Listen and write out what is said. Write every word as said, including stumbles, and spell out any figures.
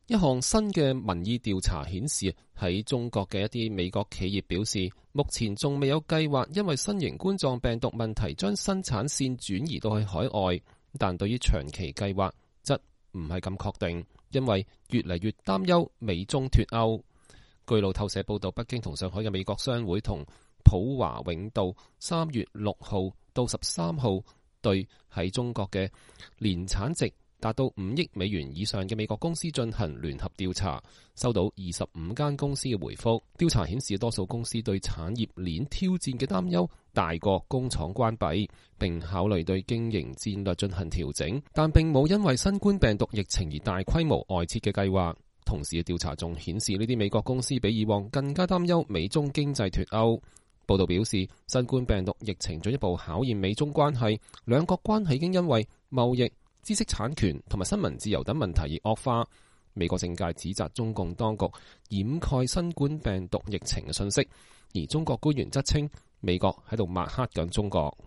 一項新嘅民意調查顯示，喺中國嘅一啲美國企業表示，目前仲未有計劃因為新型冠狀病毒問題將生產線轉移到去海外，但對於長期計劃則唔係咁確定，因為越嚟越擔憂美中脫歐。據路透社報道，北京同上海嘅美國商會同普華永道三月六號到十三號對喺中國嘅年產值達到五億美元以上嘅美國公司進行聯合調查，收到二十五間公司嘅回覆。調查顯示，多數公司對產業鏈挑戰嘅擔憂大過工廠關閉，並考慮對經營戰略進行調整，但並冇因為新冠病毒疫情而大規模外撤嘅計劃。同時嘅調查仲顯示，呢啲美國公司比以往更加擔憂美中經濟脫歐。報道表示，新冠病毒疫情進一步考驗美中關係，兩國關係已經因為貿易、知識產權同埋新聞自由等問題而惡化。美國政界指責中共當局掩蓋新冠病毒疫情嘅信息，而中國官員則稱美國喺度抹黑緊中國。